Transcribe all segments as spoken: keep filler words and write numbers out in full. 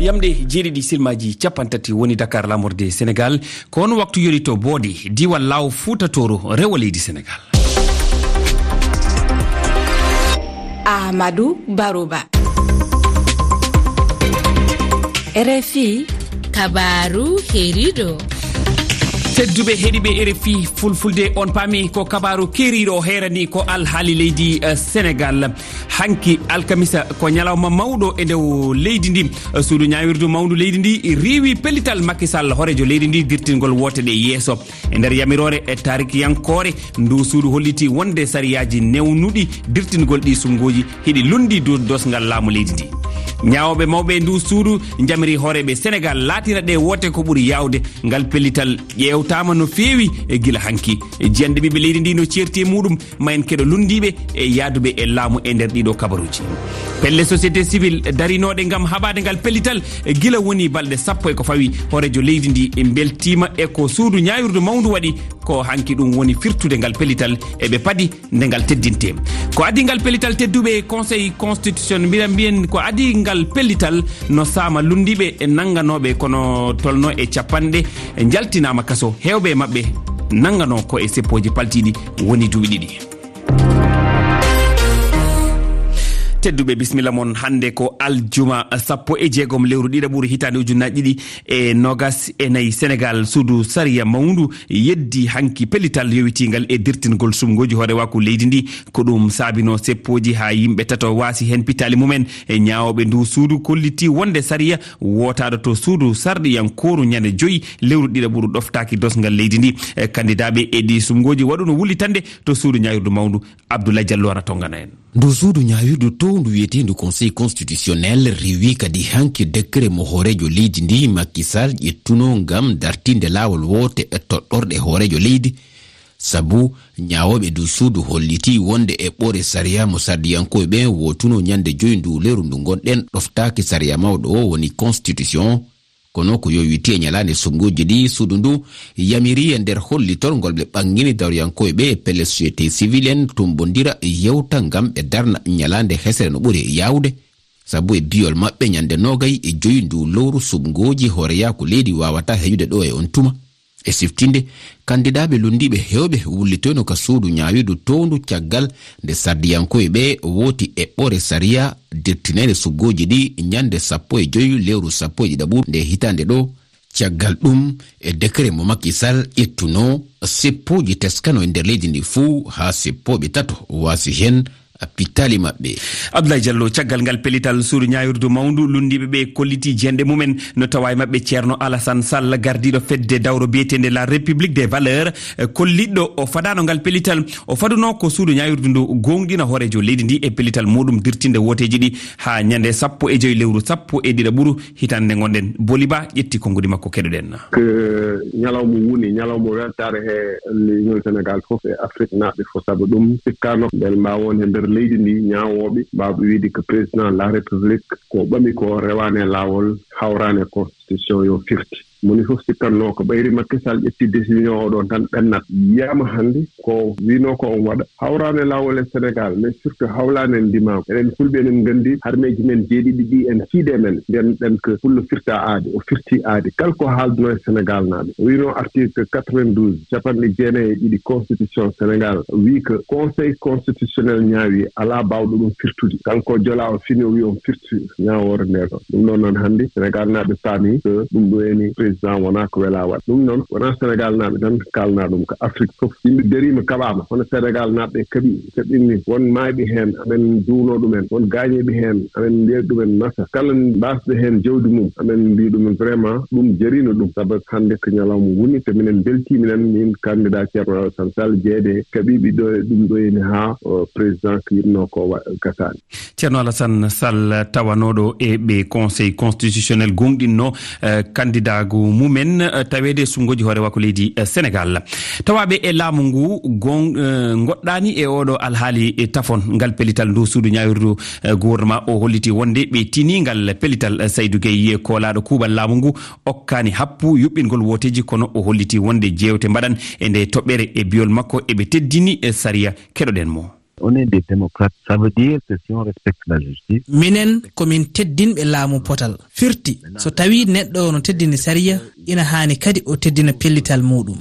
Yamɗe jeeɗiɗi silmaaji cappanɗe tati woni Dakar, laamorde Senegaal. Ko on waktu yoni to Boodi, diiwal Laaw Fuuta Tooro, rewo leydi Senegaal. Ahmadu Baruba. R F I. Kabaaru heeriiɗo. Tedduɓe heɗiiɓe R F I Fulfulde, on paami ko kabaaru keeriiɗo o heerani ko alhaali leydi, eh, Senegaal. Hanki alkamisa ko ñalawma mawɗo e nder leydi ndi. Suudu ñaawirdu mawndu leydi ndi riiwi pellital Macky Sall, hooreejo leydi ndi, dirtingol woote ɗe yeeso. E nder yamiroore e taarikiyankoore, ndu suudu holliti wonde sariyaaji newnuɗi dirtingol ɗi sumngooji hiɗi lunndi dow dosngal laamu leydi ndi. Ñaawooɓe mawɓe ndu suudu njamiri hooreeɓe Senegaal laatina ɗe woote ko ɓuri yaawde. Ngal pellital ƴeewtaama no feewi e gila hanki. Jiyanɗe ɓiɓɓe leydi ndi no ceerti e muɗum. Ma en keɗo lunndiiɓe e yahduɓe e laamu e nder ɗiɗo kabaruuji. Pelle société civile darinooɗe ngam haɓaade ngal pellital gila woni balɗe sappo e ko fawi hooreejo leydi ndi mbeltiima e ko suudu ñaawirdu mawndu waɗi. Ko hanki ɗum woni firtude ngal pellital, eɓe padi nde ngal teddinte. Ko adii ngal pellital, tedduɓe, Conseil constitutionnel, mbiɗa mbiyen ko adii ngal pellital no saama lunndiiɓe e nannganooɓe kono tolno e capanɗe njaltinaama kaso, heewɓe e maɓɓe nannganoo ko e seppooji paltiiɗi woni duuɓi ɗiɗi. Tedduɓe, bisimilla mon. Hannde ko aljuma sappo e jeegom lewru ɗiɗaɓuru hitaande ujunnaaji ɗiɗi e noogas e nayi. Senegaal, suudu sariya mawndu yeddi hanki pellital yowitiingal e dirtingol sumngooji hoorewaaku leydi ndi. Ko ɗum saabino seppooji haa yimɓe tato waasi heen pittaali mumen. E ñaawooɓe ndu suudu kolliti wonde sariya wootaaɗo to suudu sarɗiyankooru ñande joyi lewru ɗiɗaɓuru ɗoftaaki dosngal leydi ndi. E kandidaaɓe e ɗi sumngooji waɗuno wullitande to suudu ñaawirdu mawndu. Abdoulaye Diallo ana tonngana en. Ndu suudu ñaawirdu towndu wiyeteendu Conseil constitutionnel rewi kadi hanki décret mo hooreejo leydi ndi Macky Sall ƴettuno ngam dartinde laawol woote e toɗɗorɗe hooreejo leydi. Sabu ñaawooɓe ndu suudu holliti wonde eɓɓoore sariya mo sardiyankooɓe ɓen wootuno ñande joyi ndu lewru ndu ngonɗen ɗoftaaki sariya mawɗo o woni constitution. Kono ko yowiti e ñalaande sumngooji ɗi, suudu ndu yamiri e nder hollitol ngol ɓe ɓanngini dawriyankooɓe ɓe e pelle société civile en tumbondira yewta ngam ɓe darna ñalaande hesere no ɓuri yaawde. Sabu e biyol maɓɓe ñande noogay e joyi ndu lowru sumngooji hooreyaaku leydi waawata heƴude ɗo e on tuma. E siftinde, kandidaaɓe lunndiiɓe heewɓe wullitoyno ka suudu ñaawirdu towndu caggal nde sardiyankooɓe ɓe wooti eɓɓoore sariya dirtineede sumngooji ɗi ñande sappo e joyi lewru sappo e ɗiɗaɓuru nde hitaande ɗo. Caggal ɗum, e décret mo Macky Sall ƴettuno, seppooji teskano e nder leydi ndi fuu haa seppooɓe tato waasi heen pittaali maɓɓe. Abdoulaye Diallo, caggal ngal pellital suudu ñaawirdu mawndu, lunndiiɓe ɓe kolliti jiyanɗe mumen, no tawa e maɓɓe Ceerno Alassane Sall, gardiiɗo fedde dawro biyeteende La République des Valeurs, eh, kolliɗɗo o fadaano ngal pellital. O faduno ko suudu ñaawirdu ndu gooŋɗina hooreejo leydi ndi e pellital muɗum dirtinde wooteeji ɗi haa ñande sappo e joyi lewru sappo e ɗiɗaɓuru hitaande nde ngonɗen. Boliba ƴetti konguɗi makko, keɗoɗen. Ko ñalawma woni, ñalawma weltaare he Union Sénégal fof e Afrique naaɓe fof, sabu ɗum sikkaano mbele mbaawa won he nder leydi ndi ñaawooɓe mbaawɓe wiide ko président la République ko ɓami ko rewaani e laawol, hawraani e constitution yo firti. Moni fof sikkatnoo ko ɓayri Macky Sall ƴetti décision oɗon tan ɓennat. Yiyaama hannde ko wiinoo ko on waɗa. Hawraani e laawol e Sénégal, mais surtout hawlaani en ndimaagu. Enen Fulɓe enen nganndi harmeeji men jeeɗiɗi ɗi en fiide men. Mbiyan ɗen ko Fullo firta aadi, o firti aadi. Kala ko haaldunoo e Sénégal naaɓe. O wiinoo article quatre-vingt-douze, capanɗe jeenayi e ɗiɗi constitution Sénégal, wii ko Conseil constitutionnel ñaawi, alaa baawɗo ɗum firtude. Kanko o jola o fini o wii on firti ñaawoore nde ɗo. Ɗum noon noon hannde Sénégal naaɓe paami ko ɗum ɗo eni président wonaa ko welaa waɗ. Ɗum noon wonaa Sénégal naaɓe tan kaalnaa ɗum, ko Afrique fof. Yimɓe dariima kaɓaama, hono Sénégal naaɓe kaɓi, kaɓinni won maayɓe heen, amen duwno ɗumen, won gaañiiɓe heen, amen mbiya ɗumen masa. Kala mbaasɓe heen jawdi mum, amen mbiya ɗumen vraiment ɗum jariino ɗum. Sabu hannde ko ñalawma woni, te minen mbeltii minen, min candidat Ceerno Alassane Sall, jeeyde kaɓiiɓe ɗo e ɗum ɗo eni haa, o, président ko yiɗnoo ko wa-, gasaani. Ceerno Alassane Sall tawanooɗo e ɓe Conseil constitutionnel gooŋɗinno, eh, kandidaagu mumen, eh, taweede e sumngooji hoore wakko leydi, eh, Sénégal. Tawaaɓe e laamu ngu gon-, eh, ngoɗɗaani e oɗo alhaali, eh, tafon ngal pellital ndu suudu ñaawirdu, eh, gouvernement o holliti wonde ɓe tini ngal pellital, eh, Saydou Gueye, koolaaɗo kuuɓal laamu ngu, okkaani happu yuɓɓingol wooteeji, kono o holliti wonde jeewte mbaɗan e nde toɓɓere e biyol makko eɓe teddini, eh, sariya. Keɗoɗen mo. On est des démocrates, ça veut dire que si on respecte la justice. Minen ko min teddinɓe laamu potal. Firti, so tawii neɗɗo o no teddini sariya, ina haani kadi o teddina pellital muuɗum.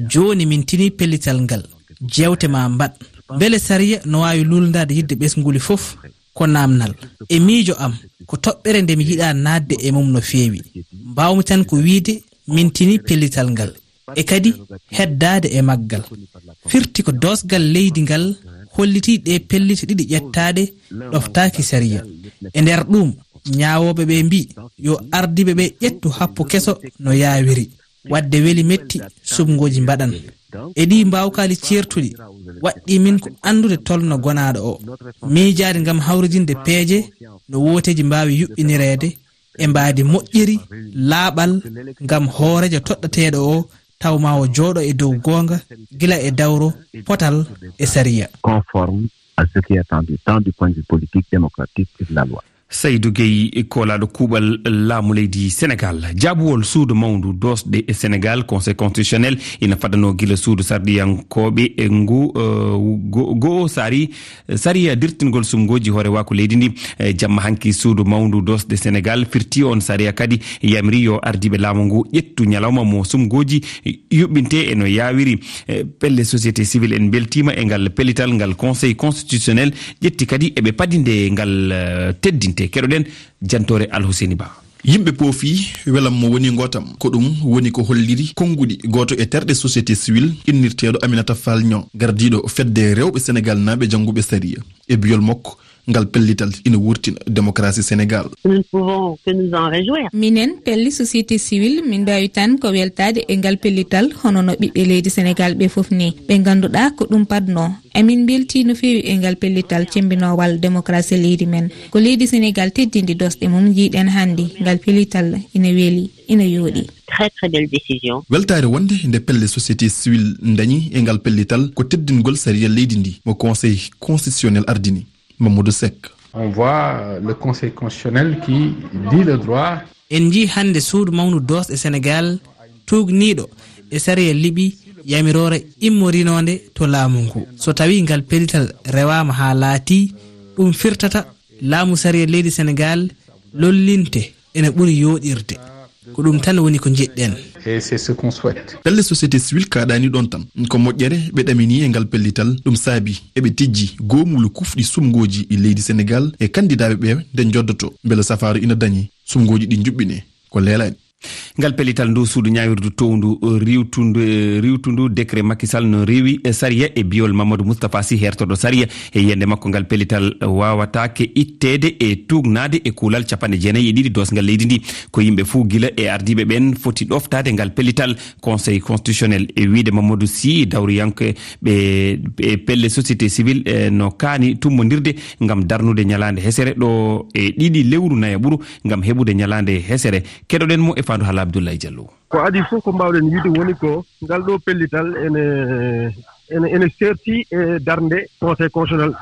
Jooni min tinii pellital ngal. Jeewte ma mbaɗ. Mbele sariya no waawi luulndaade yidde ɓesnguuli fof? Ko naamnal. E miijo am, ko toɓɓere nde mi yiɗaa naatde e mum no feewi. Mbaawmi tan ko wiyde min tinii pellital ngal. E kadi heddaade e maggal. Firti ko doosgal leydi ngal hollitii ɗe pellite ɗiɗi ƴettaaɗe ɗoftaaki sariya. E nder ɗuum, ñaawooɓe ɓe mbii yo ardiiɓe ɓe ƴettu happu keso no yaawiri. Waɗde weli metti, suɓngooji mbaɗan. E ɗii mbaawkaali ceertuɗi, waɗɗii min ko anndude tolno gonaaɗo o. Miijaade ngam hawridinde peeje no wooteeji mbaawi yuɓɓinireede e mbaadi moƴƴiri, laaɓal, ngam hooreejo toɗɗateeɗo o taw ma o jooɗo e dow goonga gila e dawro, potal e sariya. Conforme à ce qui est attendu, tant du point de vue politique, démocratique et de la loi. Saydou Gueye, koolaaɗo kuuɓal laamu leydi Senegaal. Jaabuwol suudu mawndu doosɗe e Senegaal, Conseil constitutionnel, ina fadanoo gila suudu sarɗiyankooɓe e ngu, eh, go-, goo sari, sariya dirtingol sumngooji hoorewaaku leydi ndi. Eh, jamma hanki suudu mawndu doosɗe Senegaal firti on sariya kadi yamiri yo ardiiɓe laamu ngu ƴettu ñalawma mo sumngooji yuɓɓinte e no yaawiri. Eh, pelle société civile en mbeltiima e ngal pellital ngal Conseil constitutionnel ƴetti kadi eɓe padinde ngal, eh, teddinte. Keɗoɗen jantoore Alhuseni Ba. Yimɓe poofi welam mo woni ngootam. Ko ɗum woni ko holliri konnguɗi gooto e terɗe société civile innirteeɗo Aminata Fall Niang, gardiiɗo fedde rewɓe Senegaalnaaɓe jannguɓe sariya. E biyol makko, ngal pellital ina wurtina démocratie Sénégal. Nous ne pouvons que nous en réjouir. Minen, pelle société civile, min mbaawi tan ko weltaade e ngal pellital, hono no ɓiɓɓe leydi Senegaal ɓe fof ni. Ɓe ngannduɗaa ko ɗum padnoo. Emin mbeltii no feewi e ngal pellital cemmbinoowal démocratie leydi men. Ko leydi Senegaal teddindi doosɗe mum, njiiɗen hannde ngal pellital ina weli, ina yooɗi. Très, très belle décision. Weltaare wonde nde pelle société civile ndañi e ngal pellital ko teddingol sariya leydi ndi mo Conseil constitutionnel ardini. Mamadou Seck. On voit le Conseil constitutionnel qui dit le droit. En njii hannde suudu mawndu doosɗe Senegaal tuugniiɗo e sariya liɓi yamiroore immorinoonde to laamu ngu. So tawii ngal pellital rewaama haa laatii, ɗum firtata laamu sariya leydi Senegaal lollinte ene ɓuri yooɗirde. Ko ɗum tan woni ko njiɗɗen. Et c'est ce qu'on souhaite. Pelle société civile kaaɗaani ɗoon tan. Ko moƴƴere ɓe ɗaminii e ngal pellital. Ɗum saabi eɓe tijji goomulu kufɗi sumngooji e leydi Senegaal e kanndidaaɓe ɓe nde njoddoto. Mbele safaaru ina dañi, sumngooji ɗi njuɓɓine ko leelaani. Ngal pellital ndu suudu ñaawirdu towndu riiwtundu, riiwtundu décret Macky Sall no rewi e sariya e biyol Mamadou Moustapha Sy hertoɗo sariya. E yiyannde makko, ngal pellital waawataake itteede e tuugnaade e kuulal capanɗe jeenayi e ɗiɗi doosngal leydi ndi. Ko yimɓe fuu gila e ardiiɓe ɓen foti ɗoftaade ngal pellital. Conseil constitutionnel e wiyde Mamadou Sy, dawriyanke ɓe, e pelle société civile, e no kaani tummondirde ngam darnude ñalaande hesere ɗo e ɗiɗi lewru nayaɓuru ngam heɓude ñalaande hesere. Keɗoɗen mo e faandu haala Abdoulaye Diallo. Ko adii fof ko mbaawɗen wiyde woni ko ngal ɗo pellital ene, ene, ene seerti e darnde Conseil constitutionnel,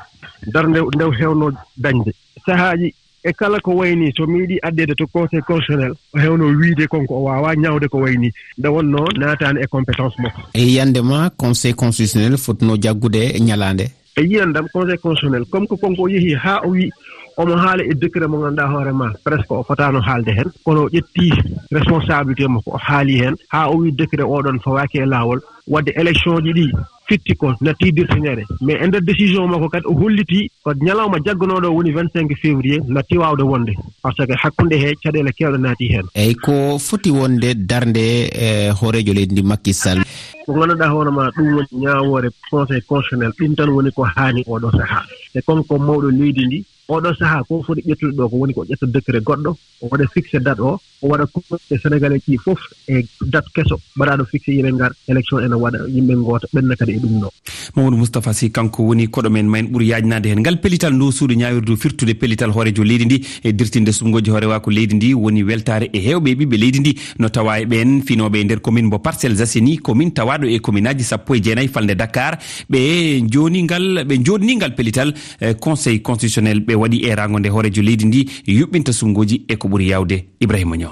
darnde nde o heewno dañde. Sahaaji e kala ko wayi nii, so meeɗii addeede to Conseil constitutionnel, o heewno wiyde kon ko o waawaa ñaawde ko wayi nii, nde wonnoo naataani e compétence makko. E yiyannde ma, Conseil constitutionnel fotnoo jaggude ñalaande? E yiyannde am, Conseil constitutionnel, comme que kon ko o yehi haa o wi omo haala e décret mo ngannduɗaa hoore ma, presque o fotaano haalde heen, kono o ƴetti responsabilité makko, o haali heen, haa o wi décret oɗon fawaaki e laawol, waɗde élection ji ɗi fitti ko natti dirtinere. Mais e nder décision makko kadi, o holliti ko ñalawma jagganooɗo o woni vingt-cinq février natti waawde wonde, parce que hakkunde he caɗeele keewɗe naati heen. Eyyi, ko foti wonde darnde, e, hooreejo leydi ndi Macky Sall? Ko ngannduɗaa hoore ma, ɗum woni ñaawoore Conseil constitutionnel, ɗum tan woni ko haani oɗo sahaa. Te kon ko mawɗo leydi ndi, oɗo sahaa ko foti ƴettude ɗo ko woni ko ƴetta décret goɗɗo, o waɗa fixé date o, o waɗa convoqué Sénégalais ji fof e date keso mbaɗaaɗo fixé, yimɓe ngar, élection ene waɗa, yimɓe ngoota, ɓenna kadi e ɗum ɗo. Mamadou Moustapha Sy, kanko woni koɗo men, ma en ɓur yaajnaade heen. Ngal pellital ndu suudu ñaawirdu firtude pellital hooreejo leydi ndi e dirtinde sumngooji hoorewaaku leydi ndi woni weltaare e heewɓe e ɓiɓɓe leydi ndi, no tawa e ɓeen finooɓe e nder commune mbo Parcelles Assainies, commune tawaaɗo e commune aji sappo e jeenayi falnde Dakar. Ɓe jooni ngal, ɓe jooɗni ngal pellital, eh, Conseil constitutionnel. Ɓe waɗi eeraango nde hooreejo leydi ndi yuɓɓinta sumngooji e ko ɓuri yaawde. Ibrahima Niang.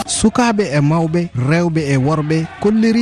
Sukaaɓe e mawɓe, rewɓe e worɓe kolliri